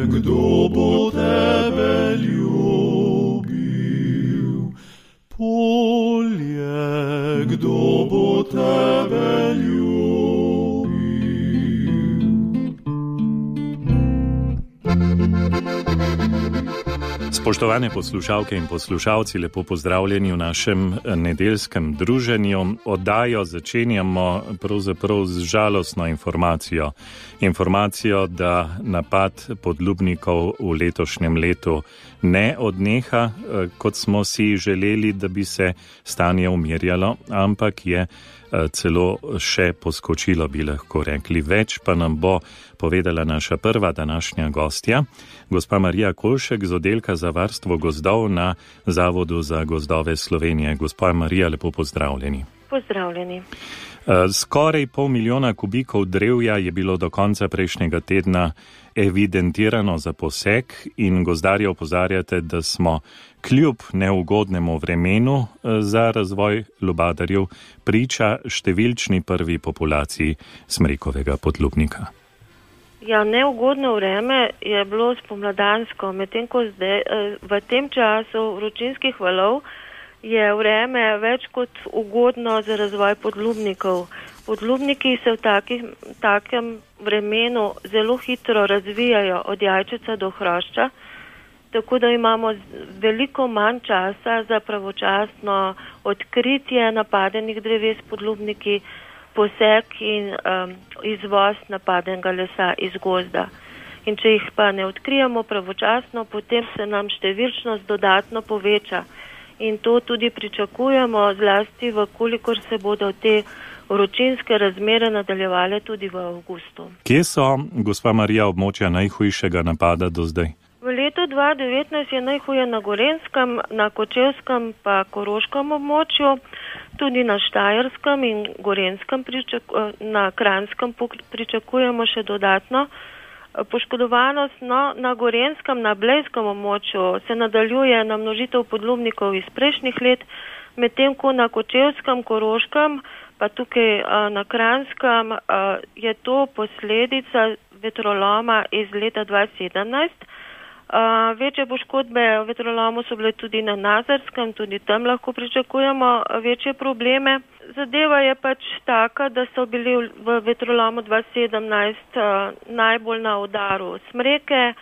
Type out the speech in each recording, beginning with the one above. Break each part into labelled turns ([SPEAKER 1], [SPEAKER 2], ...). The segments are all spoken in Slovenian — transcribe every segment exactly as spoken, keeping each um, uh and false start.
[SPEAKER 1] kdo bo tebe ljubil? Polje, kdo bo tebe ljubil?
[SPEAKER 2] Spoštovane poslušalke in poslušalci, lepo pozdravljeni v našem nedeljskem druženju. Oddajo začenjamo pravzaprav z žalostno informacijo. Informacijo, da napad podlubnikov v letošnjem letu ne odneha, kot smo si želeli, da bi se stanje umirjalo, ampak je celo še poskočilo, bi lahko rekli. Več pa nam bo povedala naša prva današnja gostja, gospa Marija Kolšek z oddelka za varstvo gozdov na Zavodu za gozdove Slovenije. Gospa Marija, lepo pozdravljeni.
[SPEAKER 3] Pozdravljeni.
[SPEAKER 2] Skoraj pol milijona kubikov drevja je bilo do konca prejšnjega tedna evidentirano za posek in gozdarji opozarjate, da smo kljub neugodnemu vremenu za razvoj lubadarjev priča številčni prvi populaciji smrekovega podlubnika.
[SPEAKER 3] Ja, neugodno vreme je bilo spomladansko, medtem ko zdaj v tem času vročinskih valov je vreme več kot ugodno za razvoj podlubnikov. Podlubniki se v takih, takem vremenu zelo hitro razvijajo od jajčica do hrošča, tako da imamo veliko manj časa za pravočasno odkritje napadenih dreves podlubniki, posek in um, izvoz napadenega lesa iz gozda. In če jih pa ne odkrijemo pravočasno, potem se nam številčnost dodatno poveča. In to tudi pričakujemo, zlasti v kolikor se bodo te vročinske razmere nadaljevale tudi v avgustu.
[SPEAKER 2] Kje so, gospa Marija, območja najhujšega napada do zdaj?
[SPEAKER 3] V letu dva tisoč devetnajst je najhuje na Gorenjskem, na Kočevskem pa Koroškem območju, tudi na Štajerskem in Gorenjskem, na Kranjskem pričakujemo še dodatno poškodovanost. No, na Gorenjskem, na Blejskem območju se nadaljuje namnožitev podlubnikov iz prejšnjih let, medtem ko na Kočevskem, Koroškem pa tukaj na Kranjskem je to posledica vetroloma iz leta dva tisoč sedemnajst. Uh, večje poškodbe v vetrolomu so bile tudi na Nazarskem, tudi tam lahko pričakujemo večje probleme. Zadeva je pač taka, da so bili v vetrolomu dva tisoč sedemnajst uh, najbolj na udaru smreke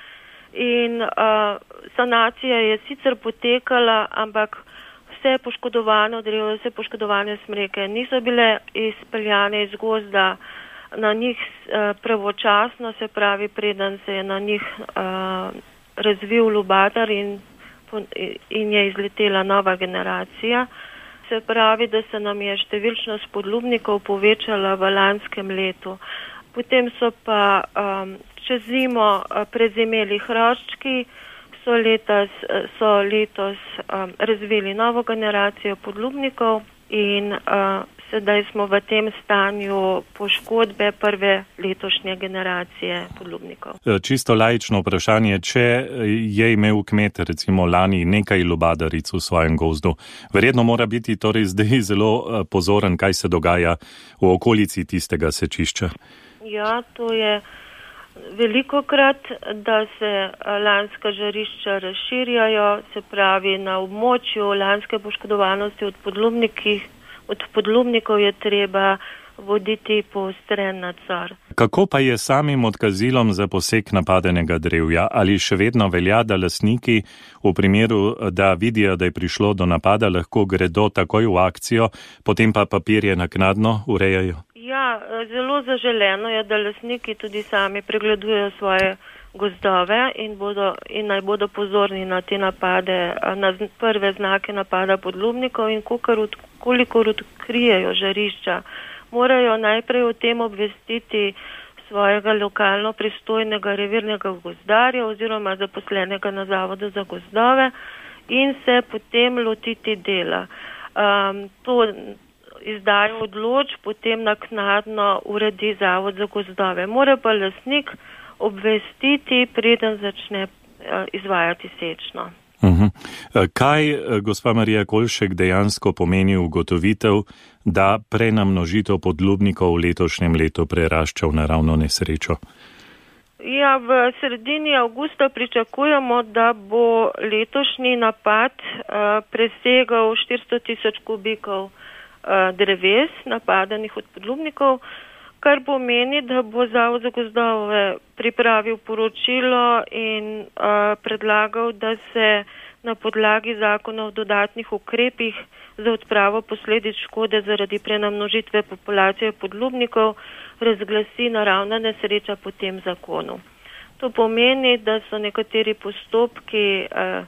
[SPEAKER 3] in uh, sanacija je sicer potekala, ampak vse poškodovane drevje, vse poškodovane smreke niso bile izpeljane iz gozda na njih uh, pravočasno, se pravi, preden se je na njih uh, razvil lubadar in, in je izletela nova generacija. Se pravi, da se nam je številčnost podlubnikov povečala v lanskem letu. Potem so pa um, čez zimo prezimeli hroščki, so, letos, so letos um, razvili novo generacijo podlubnikov in uh, sedaj smo v tem stanju poškodbe prve letošnje generacije podlubnikov.
[SPEAKER 2] Čisto laično vprašanje, če je imel kmet recimo lani nekaj lubadaric v svojem gozdu, verjetno mora biti torej zdaj zelo pozoren, kaj se dogaja v okolici tistega sečišča.
[SPEAKER 3] Ja, to je velikokrat, da se lanska žarišča razširjajo, se pravi na območju lanske poškodovanosti od podlubnikih Od podlubnikov je treba voditi poostren nadzor.
[SPEAKER 2] Kako pa je samim odkazilom za posek napadenega drevja? Ali še vedno velja, da lastniki v primeru, da vidijo, da je prišlo do napada, lahko gredo takoj v akcijo, potem pa papirje naknadno urejajo?
[SPEAKER 3] Ja, zelo zaželeno je, da lastniki tudi sami pregledujejo svoje gozdove in, bodo, in naj bodo pozorni na te napade, na prve znake napada podlubnikov in kolikor odkrijejo žarišča, morajo najprej o tem obvestiti svojega lokalno pristojnega revirnega gozdarja oziroma zaposlenega na Zavodu za gozdove in se potem lotiti dela. Um, to izdajo odločb, potem naknadno uredi Zavod za gozdove. Mora pa lastnik obvestiti, preden začne izvajati sečno.
[SPEAKER 2] Uh-huh. Kaj, gospa Marija Kolšek, dejansko pomeni ugotovitev, da prenamnožitev podlubnikov v letošnjem letu prerašča v naravno nesrečo?
[SPEAKER 3] Ja, v sredini avgusta pričakujemo, da bo letošnji napad uh, presegal štiristo tisoč kubikov uh, dreves, napadenih od podlubnikov, kar pomeni, da bo Zavod za gozdove pripravil poročilo in uh, predlagal, da se na podlagi zakona o dodatnih ukrepih za odpravo posledic škode zaradi prenamnožitve populacije podlubnikov razglasi naravna nesreča po tem zakonu. To pomeni, da so nekateri postopki eh,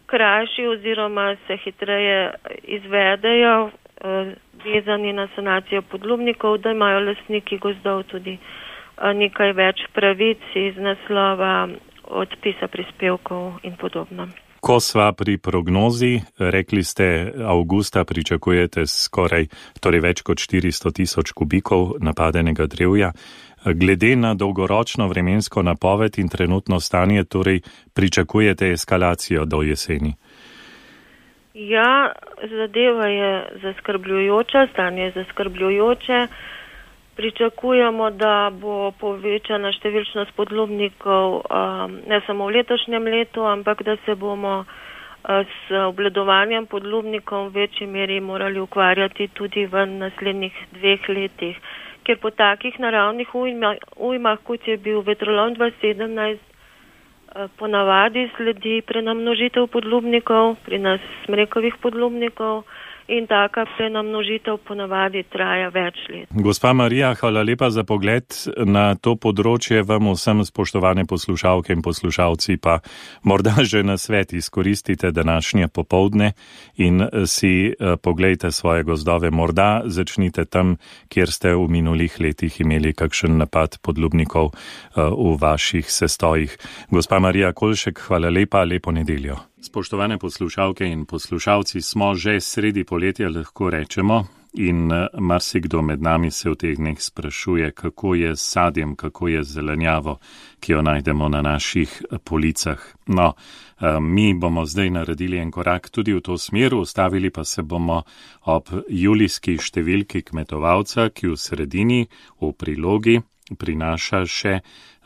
[SPEAKER 3] krajši oziroma se hitreje izvedejo, eh, vezani na sanacijo podlubnikov, da imajo lastniki gozdov tudi eh, nekaj več pravic iz naslova odpisa prispevkov in podobno.
[SPEAKER 2] Ko sva pri prognozi, rekli ste, avgusta pričakujete skoraj, torej več kot štiristo tisoč kubikov napadenega drevja. Glede na dolgoročno vremensko napoved in trenutno stanje, torej pričakujete eskalacijo do jeseni?
[SPEAKER 3] Ja, zadeva je zaskrbljujoča, stanje je zaskrbljujoče. Pričakujemo, da bo povečana številčnost podlubnikov um, ne samo v letošnjem letu, ampak da se bomo uh, s obvladovanjem podlubnikov v večji meri morali ukvarjati tudi v naslednjih dveh letih. Ker po takih naravnih ujmah, ujmah kot je bil vetrolom dva tisoč sedemnajst, uh, ponavadi sledi prenamnožitev podlubnikov, pri nas smrekovih podlubnikov, in taka prenamnožitev ponavadi traja več let.
[SPEAKER 2] Gospa Marija, hvala lepa za pogled na to področje. Vam vsem, spoštovane poslušalke in poslušalci, pa morda že na svet izkoristite današnje popoldne in si poglejte svoje gozdove. Morda začnite tam, kjer ste v minulih letih imeli kakšen napad podlubnikov v vaših sestojih. Gospa Marija Kolšek, hvala lepa, lepo nedeljo. Spoštovane poslušalke in poslušalci, smo že sredi poletja, lahko rečemo, in marsikdo med nami se v teh dneh sprašuje, kako je s sadjem, kako je z zelenjavo, ki jo najdemo na naših policah. No, mi bomo zdaj naredili en korak tudi v to smer, ustavili pa se bomo ob julijski številki kmetovalca, ki v sredini, v prilogi, prinaša še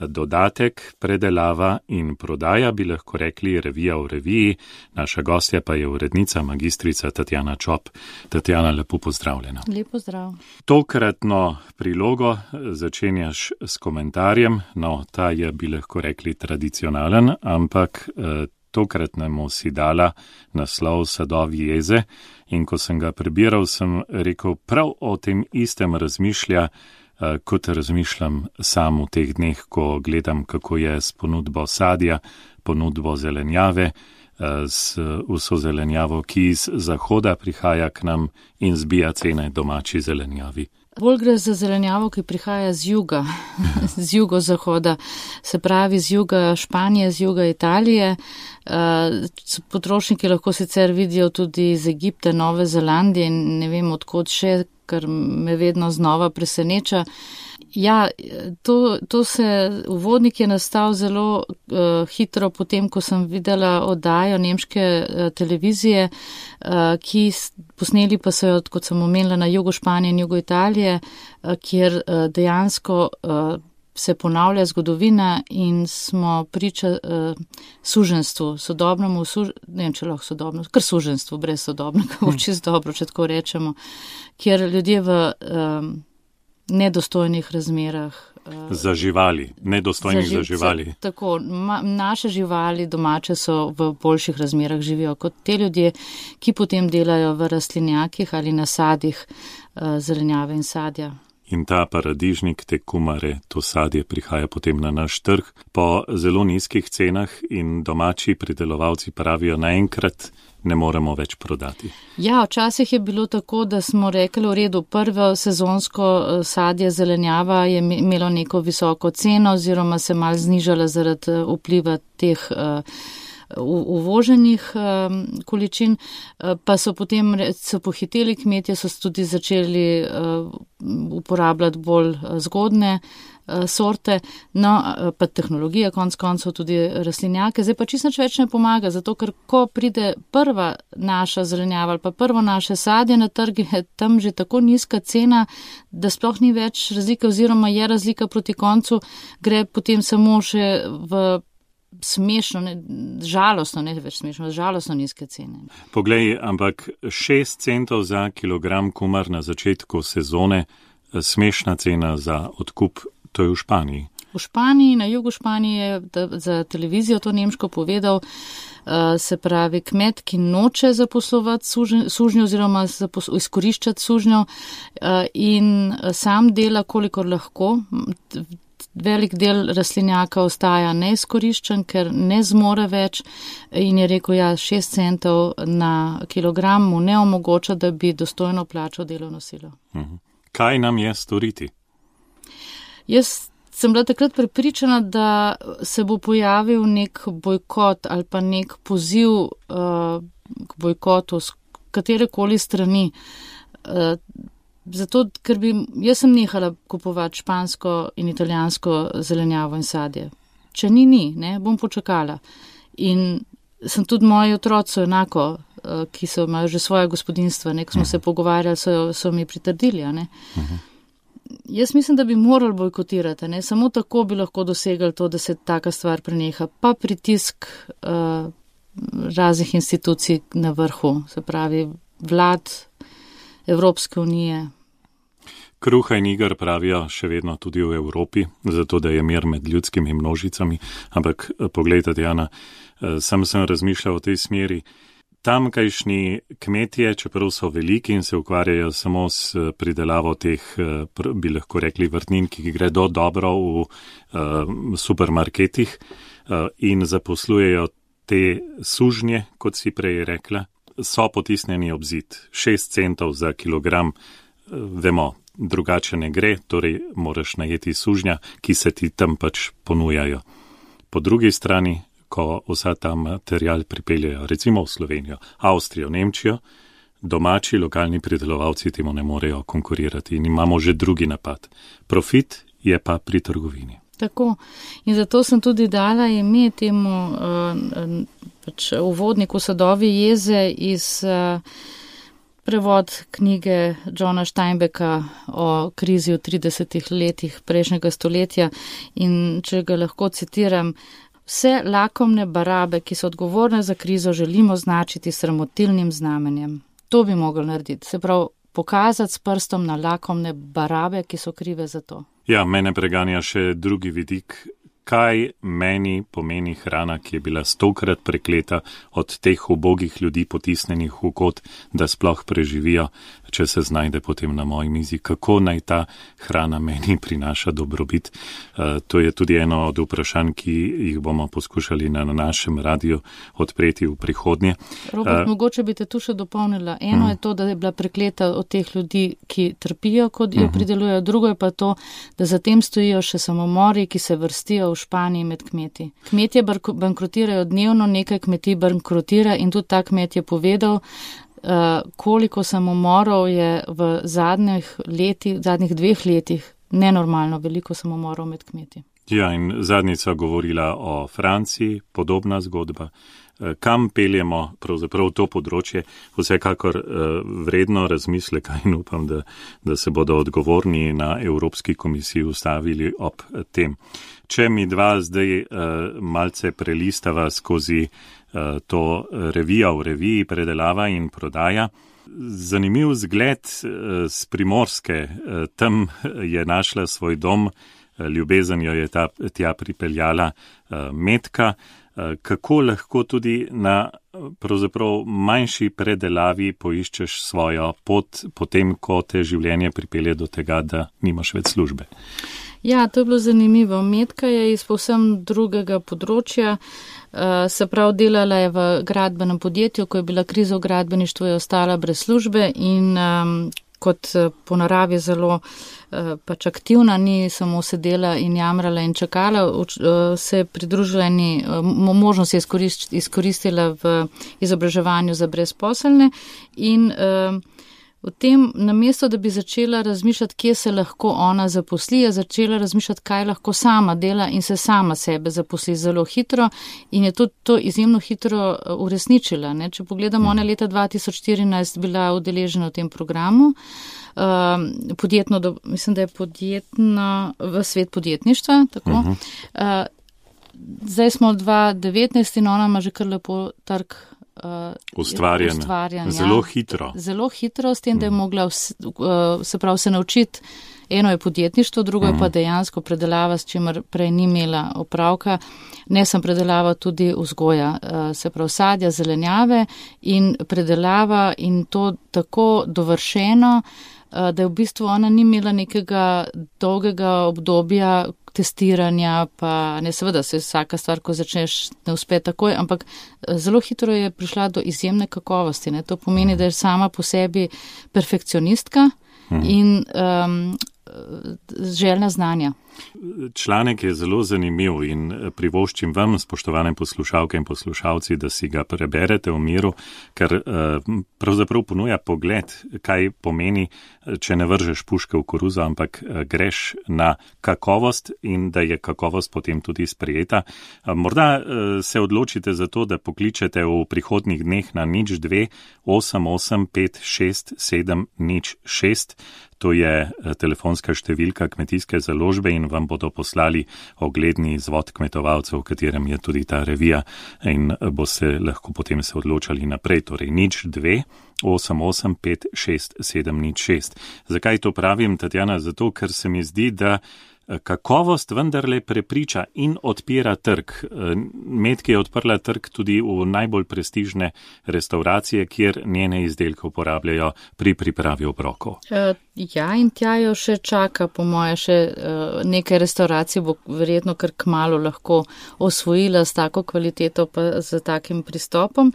[SPEAKER 2] dodatek, predelava in prodaja, bi lahko rekli revija v reviji. Naša gostja pa je urednica, magistrica Tatjana Čop. Tatjana, lepo pozdravljena.
[SPEAKER 4] Lepo zdrav.
[SPEAKER 2] Tokratno prilogo začenjaš s komentarjem, no, ta je, bi lahko rekli, tradicionalen, ampak eh, tokratnemu si dala naslov Sadovi jeze, in ko sem ga prebiral, sem rekel, prav o tem istem razmišlja, kot razmišljam sam v teh dneh, ko gledam, kako je s ponudbo sadja, ponudbo zelenjave, s vso zelenjavo, ki iz zahoda prihaja k nam in zbija cene domači zelenjavi.
[SPEAKER 4] Bolj gre za zelenjavo, ki prihaja z juga, z jugozahoda, se pravi z juga Španije, z juga Italije. Potrošniki lahko sicer vidijo tudi iz Egipta, Nove Zelandije in ne vem odkot še, kar me vedno znova preseneča. Ja, to, to se, uvodnik je nastal zelo uh, hitro potem, ko sem videla oddajo nemške uh, televizije, uh, ki posneli pa so jo, kot sem omenila, na jugu Španije in jugu Italije, uh, kjer uh, dejansko uh, se ponavlja zgodovina in smo priča uh, suženstvu, sodobnemu, suž... ne vem, če lahko sodobno, kar suženstvu, brez sodobnega, hmm. čisto dobro, če tako rečemo, kjer ljudje v um, nedostojnih razmerah. Uh,
[SPEAKER 2] za živali, nedostojnih za, za živali.
[SPEAKER 4] Tako, ma, naše živali domače so v boljših razmerah živijo kot te ljudje, ki potem delajo v rastlinjakih ali na sadih uh, zelenjave in sadja.
[SPEAKER 2] In ta paradižnik, te kumare, to sadje prihaja potem na naš trg po zelo nizkih cenah in domači pridelovalci pravijo, naenkrat ne moremo več prodati.
[SPEAKER 4] Ja, včasih je bilo tako, da smo rekli v redu, prvo sezonsko sadje zelenjava je imelo neko visoko ceno oziroma se mal znižala zaradi vpliva teh uh, uvoženih um, količin, pa so potem so pohiteli kmetje, so tudi začeli uh, uporabljati bolj zgodne sorte, no, pa tehnologija, konc koncev tudi rastlinjake. Zdaj pa čisto nič več ne pomaga, zato ker ko pride prva naša zelenjava ali pa prvo naše sadje na trg, je tam že tako nizka cena, da sploh ni več razlike oziroma je razlika proti koncu, gre potem samo še v smešno, ne, žalostno, ne več smešno, žalostno nizke cene.
[SPEAKER 2] Poglej, ampak šest centov za kilogram kumar na začetku sezone, smešna cena za odkup, to je v Španiji.
[SPEAKER 4] V Španiji, na jugu Španije je za televizijo to nemško povedal, se pravi kmet, ki noče zaposlovati sužnjo oziroma izkoriščati sužnjo in sam dela, kolikor lahko. Velik del rastlinjaka ostaja neizkoriščen, ker ne zmore več in je rekel, ja, šest centov na kilogram mu ne omogoča, da bi dostojno plačal delovno silo.
[SPEAKER 2] Kaj nam je storiti?
[SPEAKER 4] Jaz sem bila takrat prepričana, da se bo pojavil nek bojkot ali pa nek poziv uh, k bojkotu z katerekoli strani. Uh, Zato, ker bi, jaz sem nehala kupovati špansko in italijansko zelenjavo in sadje. Če ni, ni, ne, bom počakala. In sem tudi moji otroci enako, ki so imajo že svoje gospodinstva, ne, ko smo uh-huh. se pogovarjali, so, so mi pritrdili, ne. Uh-huh. Jaz mislim, da bi morali bojkotirati, ne, samo tako bi lahko dosegali to, da se taka stvar preneha, pa pritisk uh, raznih institucij na vrhu, se pravi vlad, Evropske unije.
[SPEAKER 2] Kruha in iger pravijo še vedno tudi v Evropi, zato da je mir med ljudskimi množicami, ampak poglejte, Diana, sam sem razmišljal v tej smeri. Tamkajšnji kmetje, čeprav so veliki in se ukvarjajo samo s pridelavo teh, bi lahko rekli, vrtnin, ki gredo dobro v uh, supermarketih uh, in zaposlujejo te sužnje, kot si prej rekla, so potisnjeni ob zid. Šest centov za kilogram, vemo, drugače ne gre, torej moraš najeti sužnja, ki se ti tam pač ponujajo. Po drugi strani, ko vsa ta material pripeljajo, recimo v Slovenijo, Avstrijo, Nemčijo, domači lokalni pridelovalci temu ne morejo konkurirati in imamo že drugi napad. Profit je pa pri trgovini.
[SPEAKER 4] Tako. In zato sem tudi dala ime temu uh, pač uvodniku Sadovi jeze iz uh, prevod knjige Johna Steinbecka o krizi v tridesetih letih prejšnjega stoletja. In če ga lahko citiram, vse lakomne barabe, ki so odgovorne za krizo, želimo značiti sramotilnim znamenjem. To bi mogli narediti. Se pravi, pokazati s prstom na lakomne barabe, ki so krive za to.
[SPEAKER 2] Ja, mene preganja še drugi vidik. Kaj meni pomeni hrana, ki je bila stokrat prekleta od teh ubogih ljudi potisnenih v kot, da sploh preživijo, če se znajde potem na moji mizi, kako naj ta hrana meni prinaša dobrobit. Uh, to je tudi eno od vprašanj, ki jih bomo poskušali na našem radiju odpreti v prihodnje.
[SPEAKER 4] Robert, uh, mogoče bi te tu še dopolnila. Eno uh, je to, da je bila prekleta od teh ljudi, ki trpijo, kot jo uh, pridelujejo. Drugo je pa to, da zatem stojijo še samomori, ki se vrstijo v Španiji med kmeti. Kmetje bankrotirajo dnevno, nekaj kmetij bankrotira in tudi ta kmet je povedal, uh, koliko samomorov je v zadnjih letih, zadnjih dveh letih nenormalno veliko samomorov med kmeti.
[SPEAKER 2] Ja, in zadnjica govorila o Franciji, podobna zgodba. Kam peljemo pravzaprav to področje, vsekakor vredno razmisleka in upam, da, da se bodo odgovorni na Evropski komisiji ustavili ob tem. Če mi dva zdaj malce prelistava skozi to revijo v reviji predelava in prodaja, zanimiv zgled z Primorske, tam je našla svoj dom, ljubezen jo je ta, tja pripeljala Metka. Kako lahko tudi na pravzaprav manjši predelavi poiščeš svojo pot, potem, ko te življenje pripelje do tega, da nimaš več službe?
[SPEAKER 4] Ja, to je bilo zanimivo. Metka je iz povsem drugega področja, se prav delala je v gradbenem podjetju, ko je bila kriza v gradbeništvu, je ostala brez službe in um, kot po naravi zelo pač aktivna, ni samo sedela in jamrala in čakala, se je pridružila in možnost je izkoristila v izobraževanju za brezposelne in V tem, namesto, da bi začela razmišljati, kje se lahko ona zaposli, je začela razmišljati, kaj lahko sama dela in se sama sebe zaposli zelo hitro in je tudi to izjemno hitro uresničila. Ne? Če pogledamo, ona je leta dva tisoč štirinajst bila udeležena v tem programu, uh, podjetno, do, mislim, da je podjetno, v svet podjetništva, tako. Uh-huh. Uh, zdaj smo dva tisoč devetnajst in ona ima že kar lepo trg Uh,
[SPEAKER 2] ustvarjanje. ustvarjanje. Zelo hitro.
[SPEAKER 4] Zelo hitro, s tem, da je mogla vse, uh, se prav se naučiti. Eno je podjetništvo, drugo je pa dejansko predelava, s čimer prej ni imela opravka. Ne sem predelava tudi vzgoja, uh, se prav sadja, zelenjave in predelava in to tako dovršeno, uh, da je v bistvu ona ni imela nekega dolgega obdobja testiranja, pa ne, seveda se vsaka stvar, ko začneš, ne uspe takoj, ampak zelo hitro je prišla do izjemne kakovosti. Ne. To pomeni, da je sama po sebi perfekcionistka in um, željna znanja.
[SPEAKER 2] Članek je zelo zanimiv in privoščim vam, spoštovane poslušalke in poslušalci, da si ga preberete v miru, ker pravzaprav ponuja pogled, kaj pomeni, če ne vržeš puške v koruzo, ampak greš na kakovost in da je kakovost potem tudi sprejeta. Morda se odločite za to, da pokličete v prihodnjih dneh na nič dve osem osem pet šest sedem nič šest. To je telefonska številka kmetijske založbe in vam bodo poslali ogledni izvod kmetovalcev, v katerem je tudi ta revija in boste lahko potem se odločali naprej. Torej nič dve osem osem pet šest sedem nič šest. Zakaj to pravim, Tatjana? Zato, ker se mi zdi, da kakovost vendarle prepriča in odpira trg. Metki je odprla trg tudi v najbolj prestižne restauracije, kjer njene izdelke uporabljajo pri pripravi obrokov.
[SPEAKER 4] Ja, in tja jo še čaka, po moje, še nekaj restauracij bo verjetno kar kmalu lahko osvojila s tako kvaliteto pa z takim pristopom.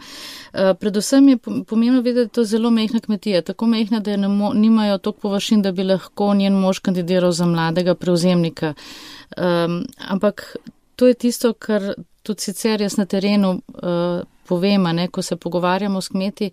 [SPEAKER 4] Predvsem je pomembno vedeti, da je to zelo mehna kmetija, tako mehna, da nimajo toliko površin, da bi lahko njen mož kandidiral za mladega prevzemnika. Um, ampak to je tisto, kar tudi sicer jaz na terenu uh, povem, ne, ko se pogovarjamo s kmeti.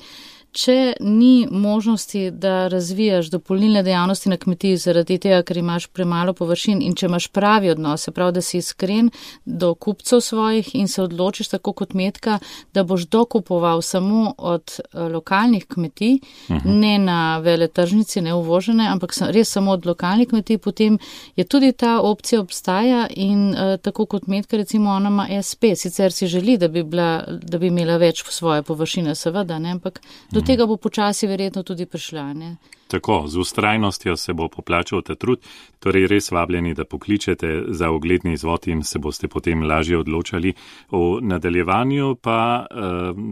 [SPEAKER 4] Če ni možnosti, da razvijaš dopolnilne dejavnosti na kmetiji zaradi tega, ker imaš premalo površin in če imaš pravi odnos, se pravi, da si iskren do kupcev svojih in se odločiš tako kot Metka, da boš dokupoval samo od lokalnih kmetij, uh-huh. ne na veletržnici, ne uvožene, ampak res samo od lokalnih kmetij, potem je tudi ta opcija obstaja in uh, tako kot Metka, recimo ona ima es pe, sicer si želi, da bi, bila, da bi imela več svoje površine, seveda, ne, ampak do tega bo počasi verjetno tudi prišla. Ne?
[SPEAKER 2] Tako, z ustrajnostjo se bo poplačal ta trud, torej res vabljeni, da pokličete za ogledni izvod in se boste potem lažje odločali. V nadaljevanju pa,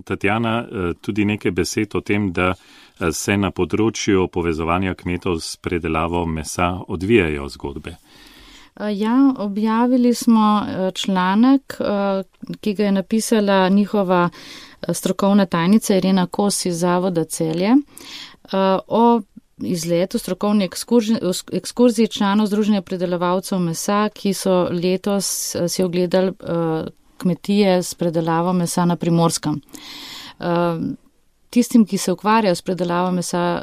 [SPEAKER 2] Tatjana, tudi nekaj besed o tem, da se na področju povezovanja kmetov s predelavo mesa odvijajo zgodbe.
[SPEAKER 4] Ja, objavili smo članek, ki ga je napisala njihova strokovna tajnica Irena Kos iz Zavoda Celje o izletu strokovni ekskurziji članov Združenja predelovalcev mesa, ki so letos si ogledali kmetije s predelavo mesa na Primorskem. Tistim, ki se ukvarjajo s predelavo mesa,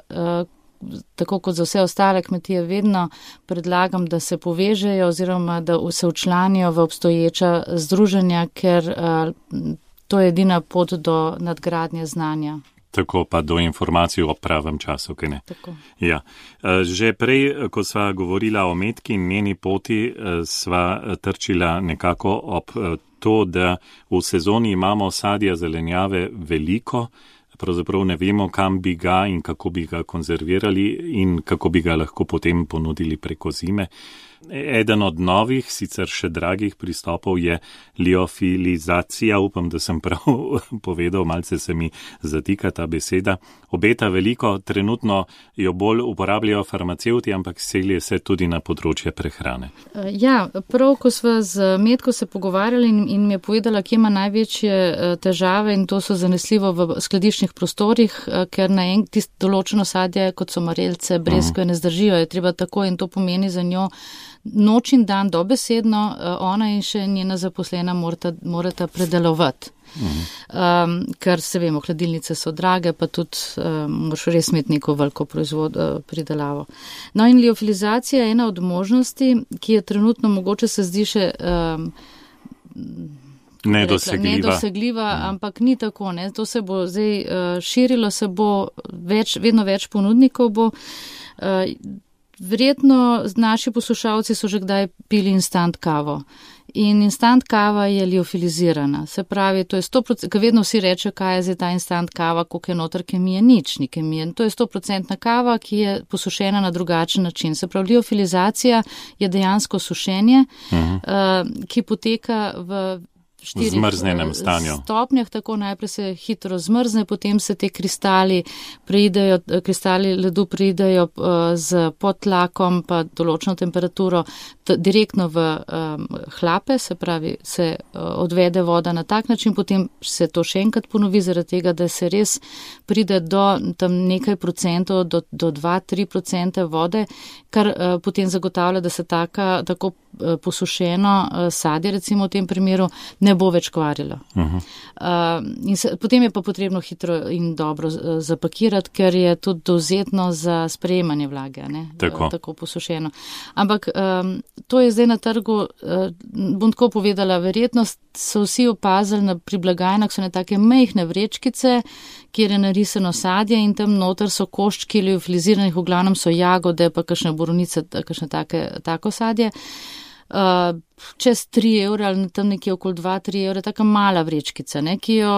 [SPEAKER 4] tako kot za vse ostale kmetije, vedno predlagam, da se povežejo oziroma da se včlanijo v obstoječa združenja, ker to je edina pot do nadgradnje znanja.
[SPEAKER 2] Tako pa do informacij o pravem času, kaj ne?
[SPEAKER 4] Tako.
[SPEAKER 2] Ja. Že prej, ko sva govorila o Metki in njeni poti, sva trčila nekako ob to, da v sezoni imamo sadja zelenjave veliko, pravzaprav ne vemo, kam bi ga in kako bi ga konzervirali in kako bi ga lahko potem ponudili preko zime. Eden od novih, sicer še dragih pristopov je liofilizacija, upam, da sem prav povedal, malce se mi zatika ta beseda. Obeta veliko, trenutno jo bolj uporabljajo farmacevti, ampak selje se tudi na področje prehrane.
[SPEAKER 4] Ja, prav, ko sva z Metko se pogovarjali in, in mi je povedala, kje ima največje težave in to so zanesljivo v skladiščnih prostorih, ker na en tist določeno sadje, kot so marelce, breskve, ne zdržijo, je treba tako in to pomeni za njo, noč in dan dobesedno ona in še njena zaposlena morata, morata predelovati. Um, ker se vemo, hladilnice so drage, pa tudi um, moraš res imeti neko veliko proizvod, uh, pridelavo. No in liofilizacija je ena od možnosti, ki je trenutno mogoče se zdi še um,
[SPEAKER 2] nedosegljiva,
[SPEAKER 4] rekla, nedosegljiva mm. ampak ni tako. Ne? To se bo zdaj uh, širilo, se bo več, vedno več ponudnikov bo. Uh, verjetno naši poslušalci so že kdaj pili instant kavo. In instant kava je liofilizirana. Se pravi, to je sto procent, ker vedno vsi reče, kaj je zdaj ta instant kava, koliko je noter kemije, nič ni kemije. To je sto procent kava, ki je posušena na drugačen način. Se pravi, liofilizacija je dejansko sušenje, uh-huh. uh, ki poteka v štirih
[SPEAKER 2] zmrznenem stanju.
[SPEAKER 4] Stopnjah, tako najprej se hitro zmrzne, potem se te kristali preidejo, kristali ledu preidejo uh, z podtlakom pa določeno temperaturo t- direktno v um, hlape, se pravi, se uh, odvede voda na tak način, potem se to še enkrat ponovi zaradi tega, da se res pride do tam nekaj procentov, do, do dva do tri procente vode, kar uh, potem zagotavlja, da se taka, tako uh, posušeno uh, sadje, recimo v tem primeru, ne ne bo več kvarilo. Uh-huh. Uh, in se, potem je pa potrebno hitro in dobro uh, zapakirati, ker je tudi dovzetno za sprejemanje vlage, ne?
[SPEAKER 2] Tako.
[SPEAKER 4] Uh, tako posušeno. Ampak um, to je zdaj na trgu, uh, bom tako povedala, verjetno so vsi opazili na, pri blagajnah, so ne take mejhne vrečkice, kjer je narisano sadje in tam noter so koščki liofiliziranih, v glavnem so jagode, pa kakšne boronice, kakšne take, tako sadje. Uh, čez tri evre ali tam nekje okoli dva do tri evre, taka mala vrečkica, ne, ki jo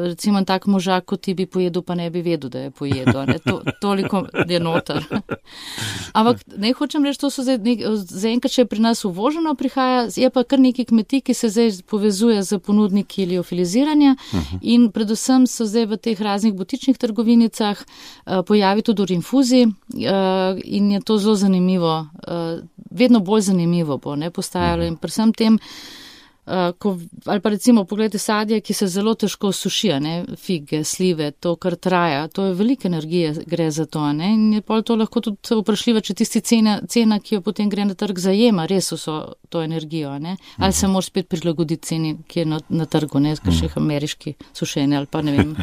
[SPEAKER 4] recimo tak možak, kot ti bi pojedel, pa ne bi vedel, da je pojedel, ne, to, toliko je noter. Ampak ne hočem reči, to so zdaj, zdaj enkrat, če je pri nas uvoženo prihaja, je pa kar neki kmetij, ki se zdaj povezuje z ponudniki liofiliziranja uh-huh. in predvsem so zdaj v teh raznih butičnih trgovinicah uh, pojavi tudi v rinfuzi uh, in je to zelo zanimivo, uh, vedno bolj zanimivo bo, ne, postajalo. In predvsem tem, uh, ko, ali pa recimo pogledajte sadje, ki se zelo težko sušijo, ne, fige, slive, to kar traja, to je velike energije gre za to, ne, in je pol to lahko tudi vprašljivo, če tisti cena, cena, ki jo potem gre na trg zajema, res so to energijo, ne, ali se moraš spet prilagoditi ceni, ki je na, na trgu, ne, kakšnih ameriški sušene ali pa ne vem,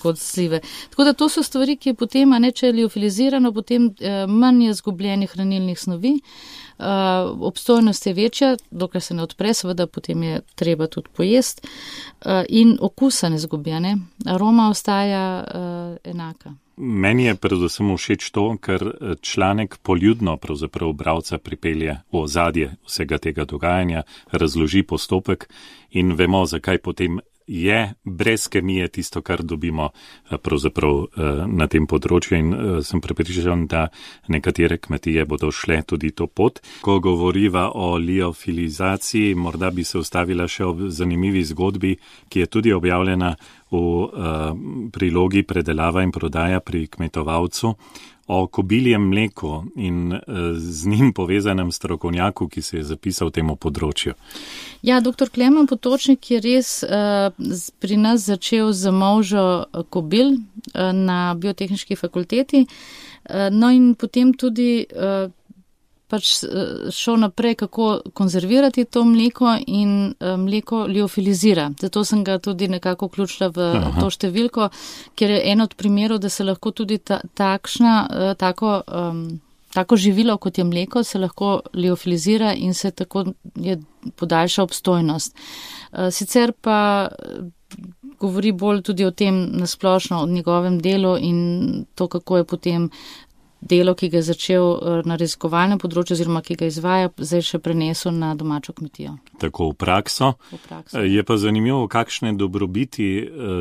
[SPEAKER 4] kot slive. Tako da to so stvari, ki potem, a ne, če je liofilizirano, potem eh, manj je zgubljenih hranilnih snovi. Uh, obstojnost je večja, dokler se ne odpre, seveda potem je treba tudi pojesti uh, in okusa ne zgubljene, aroma ostaja uh, enaka.
[SPEAKER 2] Meni je predvsem všeč to, ker članek poljudno pravzaprav bralca pripelje v ozadje vsega tega dogajanja, razloži postopek in vemo, zakaj potem je brez kemije tisto, kar dobimo pravzaprav na tem področju in sem prepričan, da nekatere kmetije bodo šle tudi to pot. Ko govoriva o liofilizaciji, morda bi se ustavila še ob zanimivi zgodbi, ki je tudi objavljena v prilogi predelava in prodaja pri kmetovalcu, o kobiljem mleku in z njim povezanem strokovnjaku, ki se je zapisal temu področju.
[SPEAKER 4] Ja, doktor Klemen Potočnik je res uh, pri nas začel z molžo kobil uh, na biotehniški fakulteti, uh, no in potem tudi uh, pač šel naprej, kako konzervirati to mleko in mleko liofilizira. Zato sem ga tudi nekako vključila v Aha. to številko, ker je en od primerov, da se lahko tudi ta, takšna, tako, um, tako živilo, kot je mleko, se lahko liofilizira in se tako je podaljša obstojnost. Sicer pa govori bolj tudi o tem nasplošno, o njegovem delu in to, kako je potem delo, ki ga je začel na raziskovalnem področju oziroma ki ga izvaja, zdaj še prenesel na domačo kmetijo.
[SPEAKER 2] Tako v prakso.
[SPEAKER 4] v prakso.
[SPEAKER 2] Je pa zanimivo, kakšne dobrobiti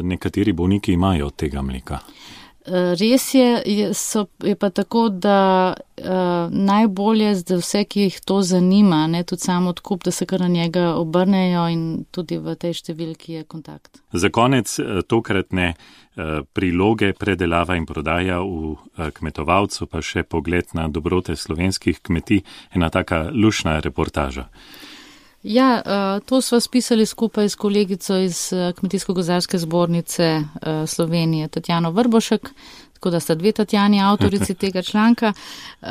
[SPEAKER 2] nekateri bolniki imajo od tega mleka.
[SPEAKER 4] Res je, je, so, je pa tako, da uh, najbolje za vse, ki jih to zanima, ne, tudi samo odkup, da se kar na njega obrnejo in tudi v tej številki je kontakt.
[SPEAKER 2] Za konec tokratne uh, priloge predelava in prodaja v uh, kmetovalcu, pa še pogled na dobrote slovenskih kmetij, ena taka lušna reportaža.
[SPEAKER 4] Ja, to sva spisali skupaj s kolegico iz Kmetijsko-gozdarske zbornice Slovenije, Tatjano Vrbošek. tako da sta dve Tatjani avtorici tega članka. Uh,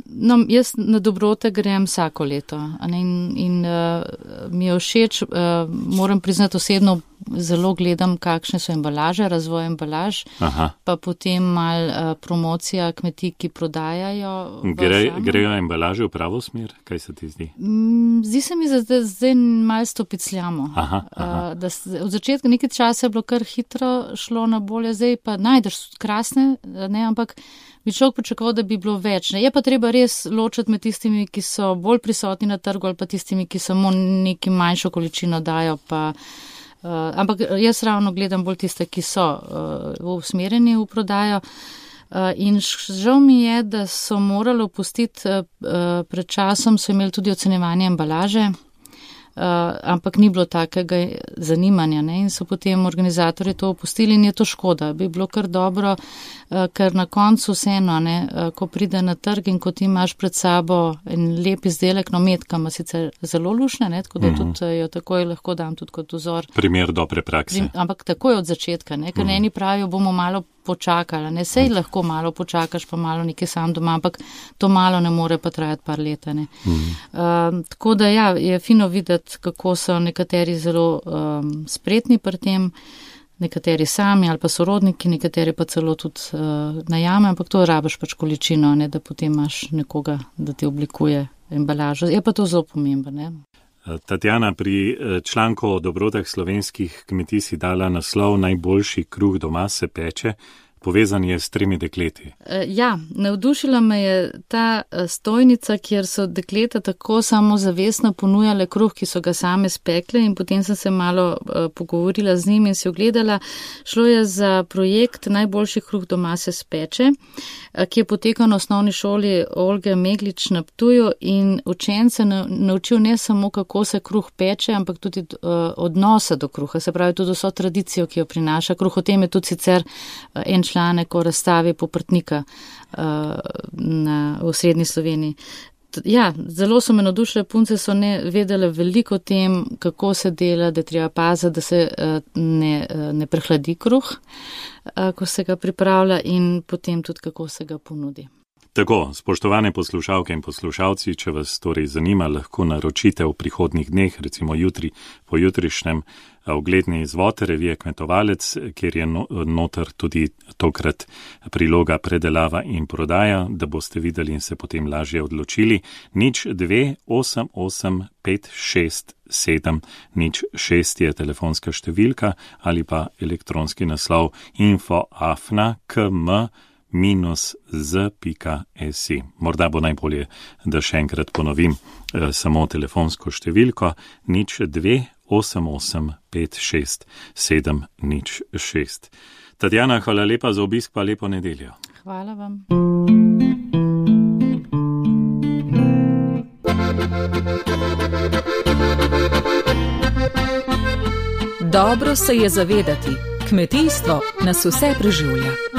[SPEAKER 4] no, jaz na dobrote grem vsako leto in, in uh, mi je všeč, uh, moram priznati osebno, zelo gledam, kakšne so embalaže, razvoj embalaž, Aha. pa potem mal uh, promocija kmetij, ki prodajajo.
[SPEAKER 2] Gre, grejo embalaže v pravo smer? Kaj se ti zdi?
[SPEAKER 4] Mm, zdi se mi, da zdaj malo stopicljamo.
[SPEAKER 2] Aha, aha.
[SPEAKER 4] Uh, da od začetka nekaj časa je bilo kar hitro šlo na bolje, zdaj pa najdeš krasne, ne, ampak bi človek pričakoval, da bi bilo več. Ne. Je pa treba res ločiti med tistimi, ki so bolj prisotni na trgu ali pa tistimi, ki samo neki manjšo količino dajo pa. Uh, ampak jaz ravno gledam bolj tiste, ki so uh, usmerjeni v prodajo uh, in žal mi je, da so morali opustiti, uh, pred časom so imeli tudi ocenjevanje embalaže, uh, ampak ni bilo takega zanimanja, ne? In so potem organizatorji to opustili in je to škoda. Bi bilo kar dobro, uh, ker na koncu vseeno, ne, uh, ko pride na trg in ko ti imaš pred sabo en lep izdelek, no metka ima sicer zelo lušne, ne? Tako da mm-hmm. tudi jo takoj lahko dam tudi kot vzor.
[SPEAKER 2] Primer dobre prakse.
[SPEAKER 4] Prim, ampak takoj od začetka, ne? Ker mm-hmm. eni pravijo, bomo malo počakali, ne, sej mm. lahko malo počakaš, pa malo nekaj sam doma, ampak to malo ne more pa trajati par leta, ne. Mm. Uh, tako da ja, je fino videti, kako so nekateri zelo um, spretni pri tem, nekateri sami ali pa sorodniki, nekateri pa celo tudi uh, najame, ampak to rabiš pač količino, ne, da potem imaš nekoga, da ti oblikuje embalažo. Je pa to zelo pomembno, ne.
[SPEAKER 2] Tatjana, pri članku o dobrotah slovenskih kmetij si dala naslov Najboljši kruh doma se peče, povezan je s tremi dekleti.
[SPEAKER 4] Ja, navdušila me je ta stojnica, kjer so dekleta tako samozavestno ponujale kruh, ki so ga same spekle in potem sem se malo pogovorila z njim in si ogledala. Šlo je za projekt Najboljši kruh doma se speče, ki je potekal na osnovni šoli Olge Meglič na Ptuju in učence naučil ne samo, kako se kruh peče, ampak tudi odnosa do kruha, se pravi tudi vso tradicijo, ki jo prinaša kruh. O tem je tudi sicer en članek o razstavi Poprtnika uh, na, v srednji Sloveniji. Ja, zelo so me navdušile, punce so ne vedele veliko o tem, kako se dela, da treba paziti, da se uh, ne, uh, ne prehladi kruh, uh, ko se ga pripravlja in potem tudi, kako se ga ponudi.
[SPEAKER 2] Tako, spoštovane poslušalke in poslušalci, če vas torej zanima, lahko naročite v prihodnjih dneh, recimo jutri, po jutrišnjem, ogledni izvod revije Kmetovalec, kjer je noter tudi tokrat priloga predelava in prodaja, da boste videli in se potem lažje odločili. Nič dve osem osem pet šest sedem nič šest je telefonska številka ali pa elektronski naslov info afna km minus z pika si. Morda bo najbolje, da še enkrat ponovim eh, samo telefonsko številko nič dve osem osem pet šest sedem nič šest. Tatjana, hvala lepa za obisk, pa lepo nedeljo.
[SPEAKER 4] Hvala vam.
[SPEAKER 5] Dobro se je zavedati, kmetijstvo nas vse preživlja.